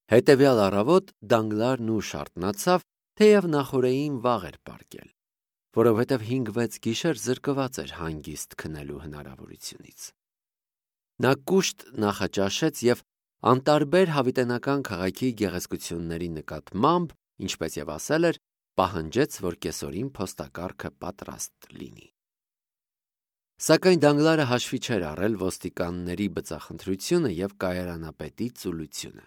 Հետևյալ առավոտ Դանգլարն ուշ արթնացավ, թեև նախօրեին վաղ էր պառկել, որովհետև 5-6 գիշեր զրկված էր հանգիստ քնելու հնարավորությունից։ Նա կուշտ նախաճաշեց և անտարբեր հավիտենական քաղաքի գեղեցկությունների նկատմամբ, ինչպես և ասել էր, պահանջեց, որ կեսօրին փոստակարգը պատրաստ լինի։ Սակայն Դանգլարը հաշվի չէր առել ոստիկանների բծախնդրությունը և կայարանապետի ծուլությունը։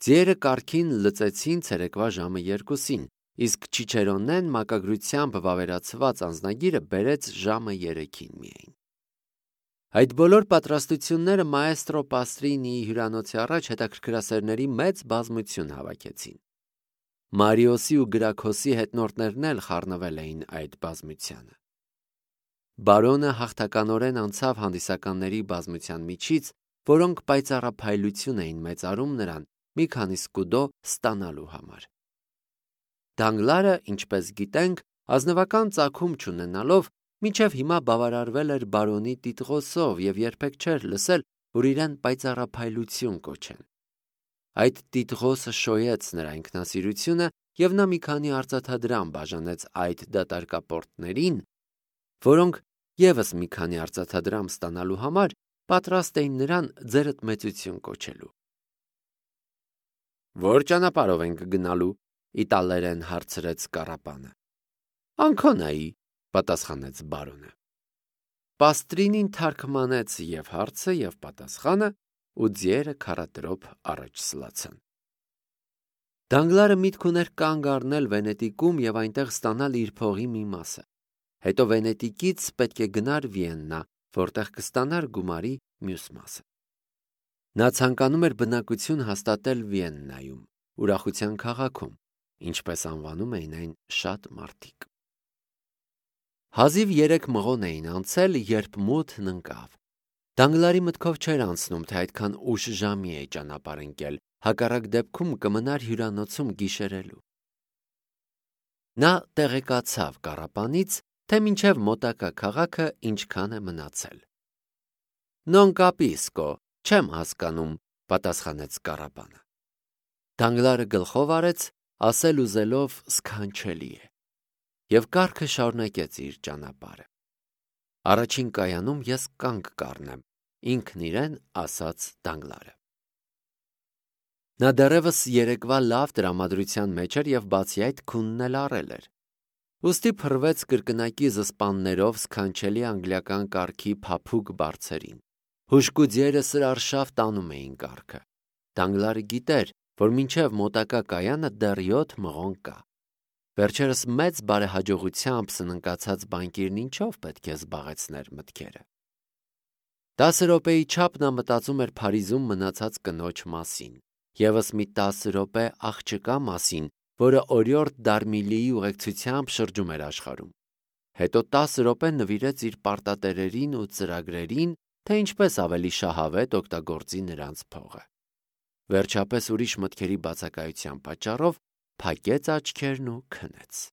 Ձիերը կառքին լծեցին ցերեկվա ժամը 2-ին, իսկ Չիչերոնեն մակագրությամբ վավերացված անձնագիրը բերեց ժամը 3-ին միայն։ Այդ բոլոր պատրաստությունները մաեստրո Պաստրինիի հյուրանոցի առաջ հետաքրքրասերների մեծ բազմություն հավաքեցին։ Մարիոսի ու Գրաքոսի հետնորդներն էլ խառնվել էին այդ բազմությանը։ Բարոնը հաղթականորեն անցավ հանդիսականների բազմության միջից, որոնք պայծառափայլություն էին մեծարում նրան մի քանի սկուդո ստանալու համար։ Դանգլարը, ինչպես գիտենք, ազնվական ծագում չունենալով, մինչև հիմա բավարարվել էր բարոնի տիտղոսով և երբեք չէր լսել, որ իրեն պայծառափայլություն կոչեն։ Այդ տիտղոսը շոյեց նրա ինքնասիրությունը, և նա մի քանի արծաթադրամ բաժանեց այդ դատարկապորտներին, որոնք ևս մի քանի արծաթադրամ ստանալու համար պատրաստ էին նրան ձերըտմեցություն կոչելու։ «Ո՞ր ճանապարհով ենք գնալու», իտալերեն հարցրեց կառապանը։ «Անքոնայի», պատասխանեց բարոնը։ Պաստրինին թարգմանեց և հարցը, և պատասխանը, ու ձիերը քառատրոփ առաջ սլացան։ Դանգլարը միտք ուներ կանգ առնել Վենետիկում և այնտեղ ստանալ իր փողի մի մասը։ Հետո Վենետիկից պետք է գնար Վիեննա, որտեղ կստանար գումարի մյուս մասը։ Նա ցանկանում էր բնակություն հաստատել Վիեննայում, ուրախության քաղաքում, ինչպես անվանում էին այն շատ մարդիկ։ Հազիվ 3 մղոն էին անցել, երբ մութն ընկավ։ Դանգլարի մտքով չէր անցնում, թե այդքան ուշ ժամի է ճանապարհ ընկել, հակառակ դեպքում կմնար հյուրանոցում գիշերելու։ Նա տեղեկացավ կառապանից, թե մինչև մոտակա քաղաքը ինչքան է մնացել։ «Non capisco, չեմ հասկանում», պատասխանեց կառապանը։ Դանգլարը գլխով արեց, ասել ուզելով սքանչելի է, և կառքը շարունակեց իր ճանապարհը։ «Առաջին կայանում ես կանգ կառնեմ», ինքն իրեն ասաց Դանգլարը։ Նա դեռևս երեկվա լավ տրամադրության մեջ էր և բացի այդ քունն էլ առել էր։ Ուստի փռվեց կրկնակի զսպաններով սքանչելի անգլիական կառքի փափուկ բարձերին։ Հուժկու ձիերը սրարշավ տանում էին կառքը։ Դանգլարը գիտեր, որ մինչև մոտակա կայանը դեռ 7 մղոն կա։ Վերջերս մեծ բարեհաջողությամբ սննկացած բանկիրն ինչով պետք է զբաղեցներ մտքերը։ 10 րոպեի չափ նա մտածում էր Փարիզում մնացած կնոջ մասին, ևս մի 10 րոպե աղջկա մասին, որը օրիորդ Դարմիլիի ուղեկցությամբ շրջում էր աշխարհում։ Հետո 10 րոպե նվիրեց իր պարտատերերին ու ծրագրերին, թե ինչպես ավելի շահավետ օգտագործի նրանց փողը։ Վերջապես ուրիշ մտքերի բացակայության պատճառով փակեց աչքերն ու քնեց։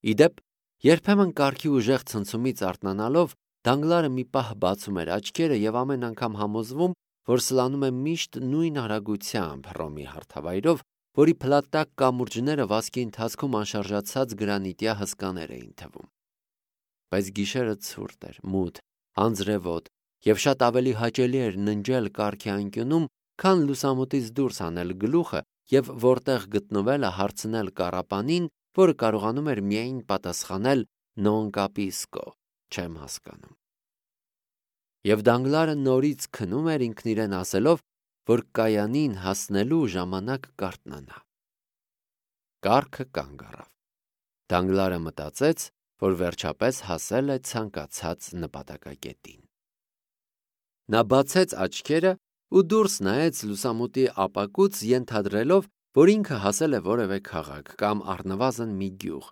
Ի դեպ, երբեմն կառքի ուժեղ ցնցումից արթնանալով Դանգլարը մի պահ բացում էր աչքերը և ամեն անգամ համոզվում, որ սլանում է միշտ նույն արագությամբ Հռոմի հարթավայրով, որի փլատակ կամուրջները վազքի ընթացքում անշարժացած գրանիտյա հսկաներ էին թվում։ Բայց գիշերը ցուրտ էր, մութ, անձրևոտ, և շատ ավելի հաճելի էր ննջել կառքի անկյունում, քան լուսամուտից դուրս հանել գլուխը և որտեղ գտնվելը հարցնել կառապանին, որը կարողանում էր միայն պատասխանել «Non capisco», չեմ հասկանում։ Եվ Դանգլարը նորից քնում էր ինքն իրեն ասելով, որ կայանին հասնելու ժամանակ կարթնանա։ Կառքը կանգ առավ։ Դանգլարը մտածեց, որ վերջապես հասել է ցանկացած նպատակակետին։ Նա բացեց աչքերը ու դուրս նայեց լուսամուտի ապակուց, ենթադրելով, որ ինքը հասել է որևէ քաղաք կամ առնվազն մի գյուղ,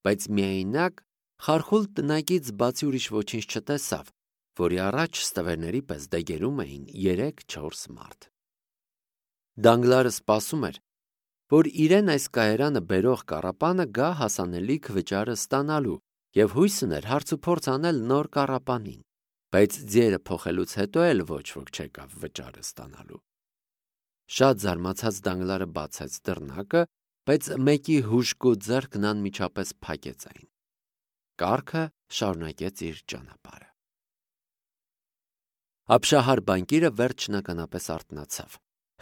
բայց միայնակ խարխուլ տնակից բացի ուրիշ ոչինչ չտեսավ, որի առաջ ստվերների պես դեգերում էին 3-4 մարդ։ Դանգլարը սպասում էր, որ իրեն այս կայարանը բերող կառապանը գա հասանելիք վճարը ստանալու և հույս ուներ հարցուփորձ անել նոր կառապանին, բայց ձիերը փոխելուց հետո էլ ոչ ոք չեկավ վճարը ստանալու։ Շատ զարմացած Դանգլարը բացեց դռնակը, բայց մեկի հուժկու ձեռքն անմիջապես փակեց այն։ Կառքը շարունակեց իր ճանապարհը։ Ապշահար բանկիրը վերջնականապես արթնացավ։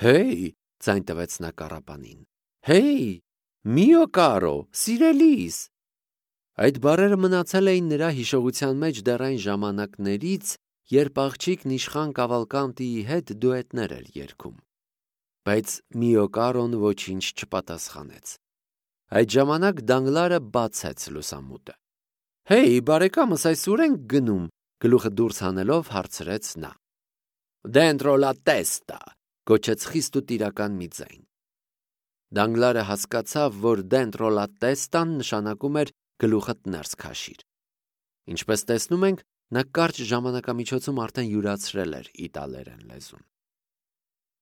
«Հեյ», ձայն տվեց նա կառապանին։ «Հեյ, միո կարո, սիրելիս»։ Այդ բառերը մնացել էին նրա հիշողության մեջ դեռ այն ժամանակներից, երբ աղջիկն իշխան Կավալկանտիի հետ դուետներ էր երգում։ Բայց Միո Կարոն ոչինչ չպատասխանեց։ Այդ ժամանակ Դանգլարը բացեց լուսամուտը։ «Հեյ, բարեկամս, այս ուր ենք գնում», գլուխը դուրս հանելով հարցրեց նա։ «Dentro la testa», գոչեց խիստ ու տիրական մի ձայն։ Դանգլարը հասկացավ, որ dentro la testa-ն նշանակում էր գլուխդ ներս քաշիր։ Ինչպես տեսնում ենք, նա կարճ ժամանակամիջոցում արդեն յուրացրել էր իտալերեն լեզուն։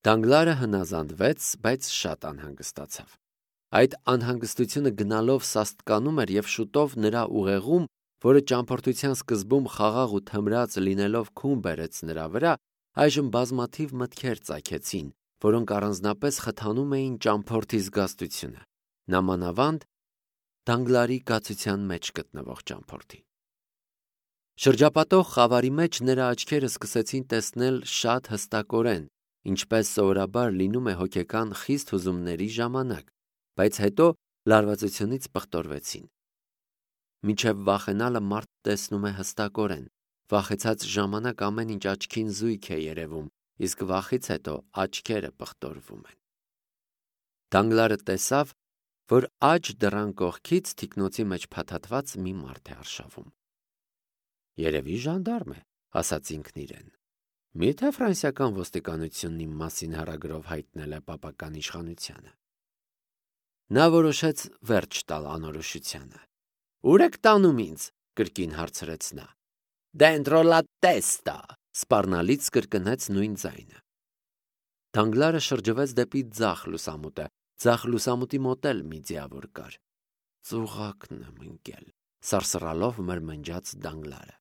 Դանգլարը հնազանդվեց, բայց շատ անհանգստացավ։ Այդ անհանգստությունը գնալով սաստկանում էր և շուտով նրա ուղեղում, որը ճամփորդության սկզբում խաղաղ ու թմրած լինելով քուն բերեց նրա վրա, այժմ բազմաթիվ մտքեր ծագեցին, որոնք առանձնապես խթանում էին ճամփորդի զգաստությունը, նամանավանդ Դանգլարի կացության մեջ գտնվող ճամփորդի։ Շրջապատող խավարի մեջ նրա աչքերը սկսեցին տեսնել շատ հստակորեն, ինչպես սովորաբար լինում է հոգեկան խիստ հուզումների ժամանակ, բայց հետո լարվածությունից պղտորվեցին։ Մինչև վախենալը մարդ տեսնում է հստակորեն, վախեցած ժամանակ ամեն ինչ աչքին զույգ է երևում, իսկ վախից հետո աչքերը պղտորվում են։ Դանգլարը տեսավ, որ աջ դռան կողքից թիկնոցի մեջ փաթաթված մի մարդ է արշավում։ «Երևի ժանդարմ է», ասաց ինքն իրեն։ «Միթե ֆրանսիական ոստիկանությունն իմ մասին հեռագրով հայտնել է պապական իշխանությանը»։ Նա որոշեց վերջ տալ անորոշությանը։ «Ուր եք տանում ինձ», կրկին հարցրեց նա։ «Dentro la testa», սպառնալից կրկնեց նույն ձայնը։ Դանգլարը շրջվեց դեպի ձախ լուսամուտը, ձախ լուսամուտի մոտ էլ մի ձիավոր կար։ «Ծուղակն եմ ընկել», սարսռալով մրմնջաց Դանգլարը։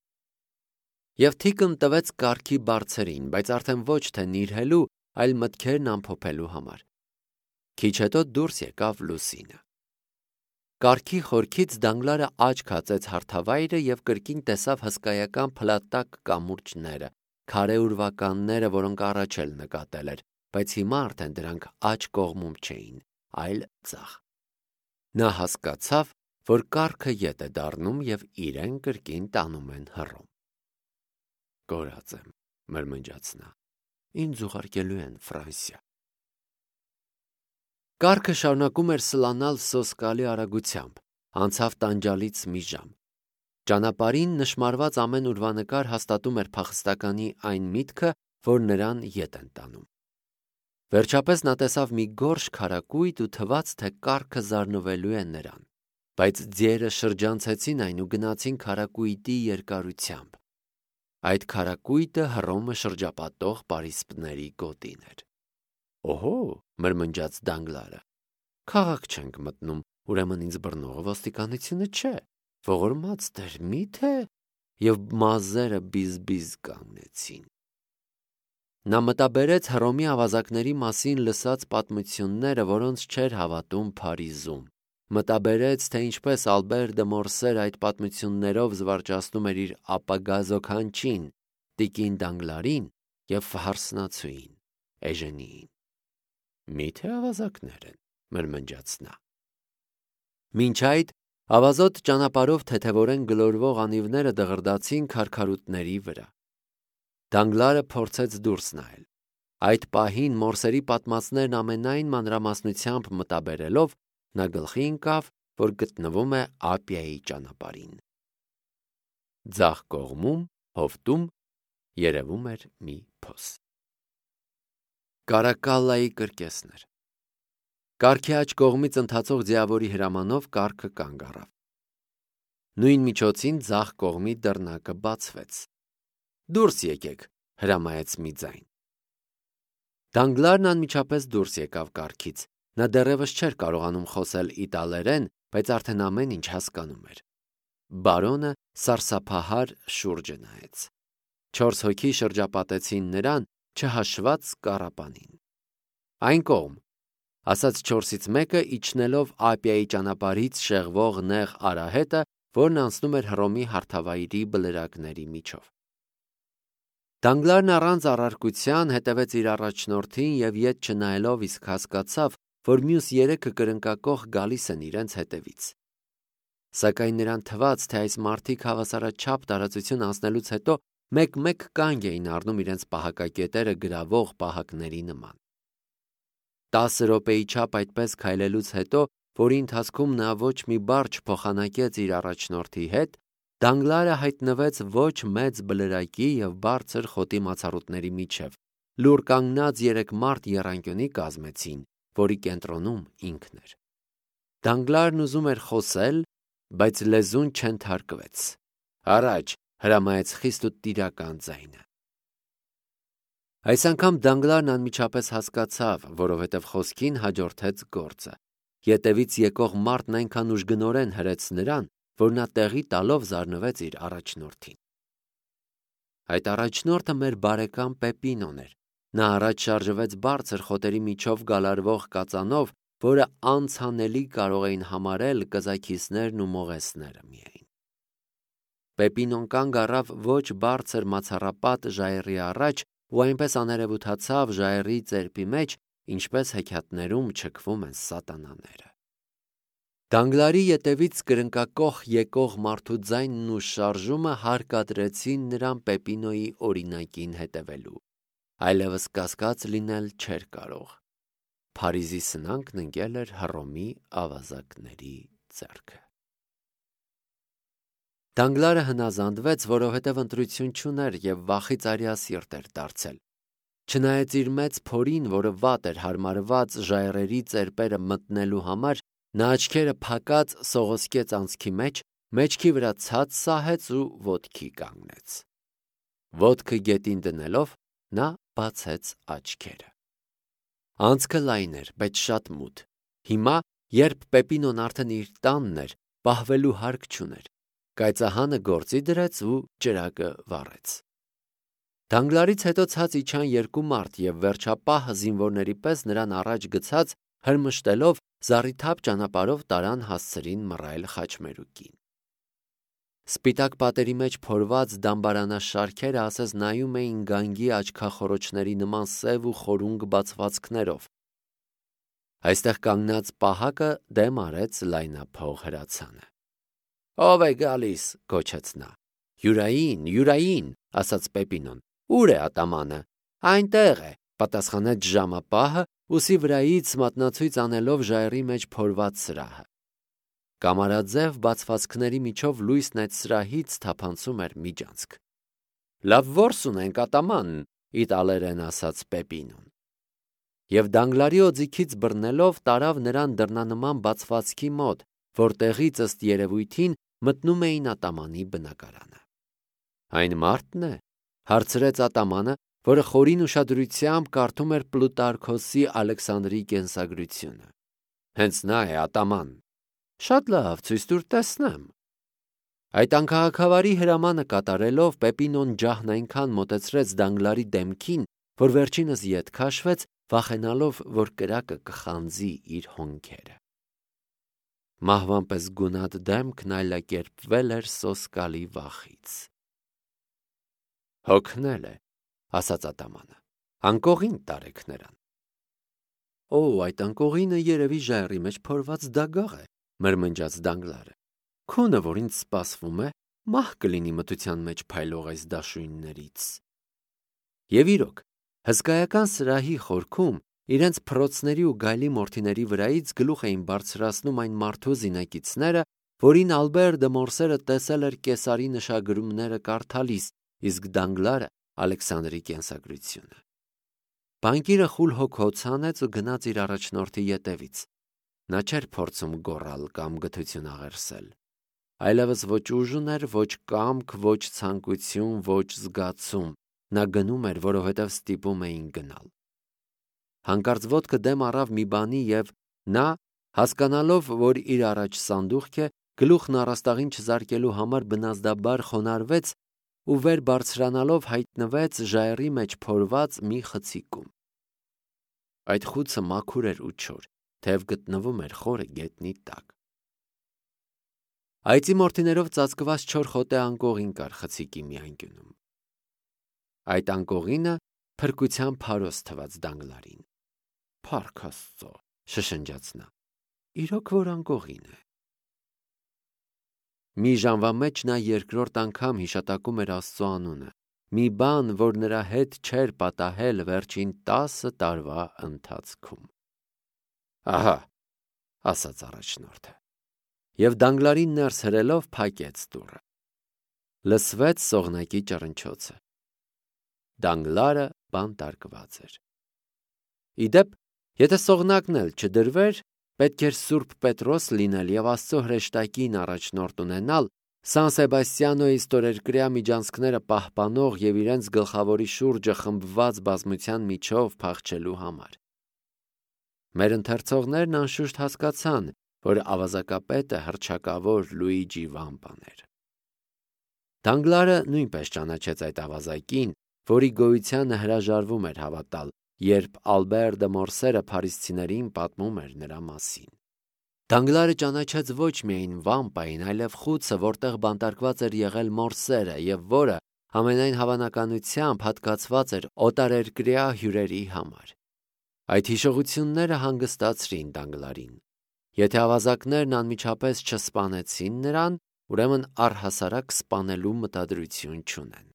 Եվ թիկն տվեց կառքի բարձերին, բայց արդեն ոչ թե նիրհելու, այլ մտքերն ամփոփելու համար։ Քիչ հետո դուրս եկավ լուսինը։ Կառքի խորքից Դանգլարը աչք հացեց հարթավայրը և կրկին տեսավ հսկայական փլատակ կամուրջները, քարե ուրվականները, որոնք առաջ էլ նկատել էր, բայց հիմա արդեն դրանք աջ կողմում չէին, այլ ձախ։ Նա հասկացավ, որ կառքը ետ է դառնում և իրեն կրկին տանում են հռոմ։ «Կորած եմ», մրմնջաց նա, «ինձ ուղարկելու են Ֆրանսիա»։ Կառքը շարունակում էր սլանալ սոսկալի արագությամբ, անցավ տանջալից մի ժամ։ Ճանապարհին նշմարված ամեն ուրվանկար հաստատում էր փախստականի այն միտքը, որ նրան ետ են տանում։ Վերջապես նա տեսավ մի գորշ քարակույտ ու թվաց, թե կառքը զարնվելու է նրան, բայց ձիերը շրջանցեցին այն ու գնացին քարակույտի երկարությամբ։ Այդ քարակույտը Հռոմը շրջապատող պարիսպների գոտին էր։ «Օհո», մրմնջաց Դանգլարը, «քաղաք չենք մտնում, ուրեմն ինձ բռնողը ոստիկանությունը չէ, ողորմած Տեր, մի՞թե» և մազերը բիզ-բիզ կանգնեցին։ Նա մտաբերեց Հռոմի ավազակների մասին լսած պատմությունները, որոնց չէր հավատում Փարիզում։ Մտաբերեց, թե ինչպես Ալբեր դը Մորսեր այդ պատմություններով զվարճացնում էր իր ապագա զոքանչին, տիկին Դանգլարին և հարսնացուին Էժենիին։ «Մի՞թե ավազակներ են», մրմնջաց նա։ Մինչ այդ ավազոտ ճանապարհով թեթևորեն գլորվող անիվները դղրդացին քարքարուտների վրա։ Դանգլարը փորձեց դուրս նայել։ Այդ պահին Մորսերի պատմածներն ամենայն մանրամասնությամբ մտաբերելով, նա գլխի ընկավ, որ գտնվում է Ափիայի ճանապարհին։ Ձախ կողմում, հովտում, երևում էր մի փոս։ Կարակալլայի կրկեսներ։ Կառքի աջ կողմից ընթացող ձիավորի հրամանով կառքը կանգ առավ։ Նույն միջոցին ձախ կողմի դռնակը բացվեց։ «Դուրս եկեք», հրամայեց մի ձայն։ Դանգլարն անմիջապես դուրս եկավ կառքից։ Նա դեռևս չէր կարողանում խոսել իտալերեն, բայց արդեն ամեն ինչ հասկանում էր։ Բարոնը սարսափահար շուրջը նայեց։ 4 հոգի շրջապատեցին նրան, չհաշված կառապանին։ Այն կողմ, ասաց 4-ից մեկը իջնելով Ափիայի ճանապարհից շեղվող նեղ արահետը, որն անցնում էր Հռոմի հարթավայրի բլրակների միջով։ Դանգլարն առանց առարկության հետևեց իր առաջնորդին եւ ետ չնայելով իսկ հասկացավ, որ մյուս 3-ը կրնկակող գալիս են իրենց հետևից։ Սակայն նրան թվաց, թե այս մարդիկ հավասարաչափ տարածություն անցնելուց հետո մեկ-մեկ կանգ էին առնում իրենց պահակակետերը գրավող պահակների նման։ 10 րոպեի չափ այդպես քայլելուց հետո, որի ընթացքում նա ոչ մի բառ չփոխանակեց իր առաջնորդի հետ, Դանգլարը հայտնվեց ոչ մեծ բլրակի եւ բարձր խոտի մացառուտների միջև, լուր կանգնած 3 մարդ եռանկյունի կազմեցին, որի կենտրոնում ինքն էր։ Դանգլարն ուզում էր խոսել, բայց լեզուն չենթարկվեց։ Առաջ, հրամայեց խիստ ու տիրական ձայնը։ Այս անգամ Դանգլարն անմիջապես հասկացավ, որովհետև խոսքին հաջորդեց գործը։ Ետևից եկող մարդն այնքան ուժգնորեն հրեց նրան, որ նա տեղի տալով զարնվեց իր առաջնորդին։ Այդ առաջնորդը մեր բարեկամ Պեպինոն էր։ Նա առաջ շարժվեց բարձր խոտերի միջով գալարվող կածանով, որը անցանելի կարող էին համարել կզաքիսներն ու մողեսները միայն։ Պեպինոն կանգ առավ ոչ բարձր մացառապատ ժայռի առաջ ու այնպես աներևութացավ ժայռի ծերպի մեջ, ինչպես հեքիաթներում չքվում են սատանաները։ Դանգլարի ետևից կրնկակոխ եկող մարդու ձայնն ու շարժումը հարկադրեցին նրան Պեպինոյի օրինակին հետևելու։ Այլևս կասկած լինել չէր կարող։ Փարիզի սնանկն ընկել էր Հռոմի ավազակների ձեռքը։ Դանգլարը հնազանդվեց, որովհետև ընտրություն չուներ և վախից արիասիրտ էր դարձել։ Չնայած իր մեծ փորին, որը վատ էր հարմարված ժայռերի ծերպերը մտնելու համար, նա աչքերը փակած սողոսկեց անցքի մեջ, մեջքի վրա ցած սահեց ու ոտքի կանգնեց։ Ոտքը գետին դնելով, նա բացեց աչքերը։ Անցքը լայն էր, բայց շատ մութ։ Հիմա, երբ Պեպինոն արդեն իր տանն էր, պահվելու հարկ չուներ։ Կայծահանը գործի դրեց ու ճրագը վառեց։ Դանգլարից հետո ցած իջան 2 մարդ և վերջապահ զինվորների պես նրան առաջ գցած հրմշտելով զառիթափ ճանապարհով տարան հասցրին մռայլ խաչմերուկին։ Սպիտակ պատերի մեջ փորված դամբարանաշարքերը ասես նայում էին գանգի աչքախոռոչների նման սև ու խորունգ բացվածքներով։ Այստեղ կանգնած պահակը դեմ արեց լայնափող հրացանը։ «Ո՞վ է գալիս», գոչեց նա։ «Յուրային», ասաց Պեպինոն։ «Ուր է ատամանը»։ «Այնտեղ է», պատասխանեց ժամապահը, ուսի վրայից մատնացույց անելով ժայռի մեջ փորված սրահը։ Կամարաձև բացվածքների միջով լույսն այդ սրահից թափանցում էր միջանցք։ «Լավ որս ունենք ատաման», իտալերեն ասաց Պեպինոն։ Եվ Դանգլարի օձիքից բռնելով տարավ նրան դռնանման բացվածքի մոտ, որտեղից ըստ երևույթին մտնում էին ատամանի բնակարանը։ «Այն մարդն է», հարցրեց ատամանը, որը խորին ուշադրությամբ կարդում էր Պլուտարքոսի Ալեքսանդրի կենսագրությունը։ «Հենց նա է, ատաման»։ «Շատ լավ, ցույց տուր տեսնեմ»։ Այդ անքաղաքավարի հրամանը կատարելով Պեպինոն ջահն այնքան մոտեցրեց Դանգլարի դեմքին, որ վերջինս ետ քաշվեց, վախենալով, որ կրակը կխանձի իր հոնքերը։ Մահվան պես գունատ դեմքն այլակերպվել էր սոսկալի վախից։ «Հոգնել է», ասաց ատամանը։ «Անկողին տարեք նրան»։ «Օ, այդ անկողինը երևի ժայռի մեջ փորված դագաղ է», մրմնջաց Դանգլարը։ «Քունը, որ ինձ սպասվում է, մահ կլինի մթության մեջ փայլող այս դաշույններից»։ Եվ իրոք, հսկայական սրահի խորքում իրենց փռոցների ու գայլի մորթիների վրայից գլուխ էին բարձրացնում այն մարդու զինակիցները, որին Ալբեր դը Մորսերը տեսել էր Կեսարի նշագրումները կարդալիս, իսկ Դանգլարը Ալեքսանդրի կենսագրությունը։ Բանկիրը խուլ հոգ հոց հանեց ու գնաց իր առաջնորդի ետևից։ Նա չէր փորձում գոռալ կամ գթություն աղերսել։ Այլևս ոչ ուժ ուներ, ոչ կամք, ոչ ցանկություն, ոչ զգացում։ Նա գնում էր, որովհետև ստիպում էին գնալ։ Հանկարծ ոտքը դեմ առավ մի բանի և նա, հասկանալով, որ իր առաջ սանդուղք է, գլուխն առաստաղին չզարկելու համար բնազդաբար խոնարհվեց ու վեր բարձրանալով հայտնվեց ժայռի մեջ փորված մի խցիկում։ Այդ խուցը մաքուր էր ու չոր, թեև գտնվում էր խորը գետնի տակ։ Այծի մորթիներով ծածկված չոր խոտե անկողին կար խցիկի մի անկյունում։ Այդ անկողինը փրկության փարոս թված Դանգլարին։ «Փառք Աստծո», շշնջաց նա, «իրոք որ անկողին է»։ Մի ժամվա մեջ նա երկրորդ անգամ հիշատակում էր Աստծո անունը, մի բան, որ նրա հետ չէր պատահել վերջին 10 տարվա ընթացքում։ «Ահա», ասաց առաջնորդը, և Դանգլարին ներս հրելով փակեց դուռը։ Լսվեց սողնակի ճռնչոցը։ Դանգլարը բանտարկված էր։ Իդեպ, եթե սողնակն էլ չդրվեր, պետք էր Սուրբ Պետրոս լինել և Աստծո հրեշտակին առաջնորդ ունենալ Սան Սեբաստիանոյի ստորերկրյա միջանցքները պահպանող և իրենց գլխավորի շուրջը խմբված բազմության միջով փախչելու համար։ Մեր ընթերցողներն անշուշտ հասկացան, որ ավազակապետը հռչակավոր Լուիջի Վամպան էր։ Դանգլարը նույնպես ճանաչեց այդ ավազակին, որի գոյությանը հրաժարվում էր հավատալ, երբ Ալբեր դը Մորսերը փարիսցիներին պատմում էր նրա մասին։ Դանգլարը ճանաչեց ոչ միայն Վամպային, այլև խուցը, որտեղ բանտարկված էր եղել Մորսերը և որը ամենայն հավանականությամբ հատկացված էր օտարերկրյա հյուրերի համար։ Այդ հիշողությունները հանգստացրին Դանգլարին։ Եթե ավազակներն անմիջապես չսպանեցին նրան, ուրեմն առհասարակ սպանելու մտադրություն չունեն։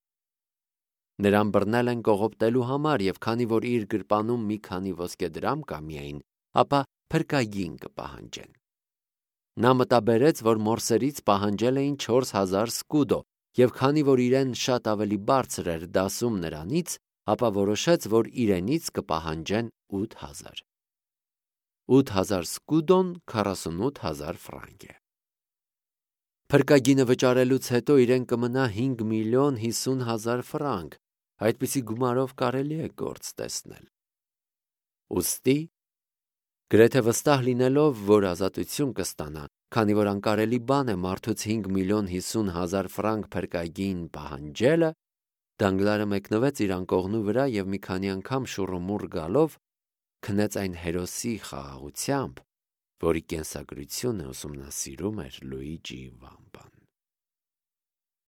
Նրան բռնել են կողոպտելու համար, և քանի որ իր գրպանում մի քանի ոսկեդրամ կա միայն, ապա փրկագին կպահանջեն։ Նա մտաբերեց, որ Մորսերից պահանջել էին 4000 սկուդո, և քանի որ իրեն շատ ավելի բարձր էր դասում նրանից, ապա որոշեց, որ իրենից կպահանջեն 8000։ 8000 սկուդոն 48000 ֆրանկ է։ Փրկագինը վճարելուց հետո իրեն կմնա 5,50,000 ֆրանկ, այդպիսի գումարով կարելի է գործ տեսնել։ Ուստի, գրեթե վստահ լինելով, որ ազատություն կստանա, քանի որ անկարելի բան է մարդուց 5,50,000 ֆրանկ փրկագին պահանջելը, Դանգլարը մեկնվեց իր անկողնու վրա և մի քանի անգամ շուռումուռ գալով քնեց այն հերոսի խաղաղությամբ, որի կենսագրությունը ուսումնասիրում էր Լուիջի Վամպան։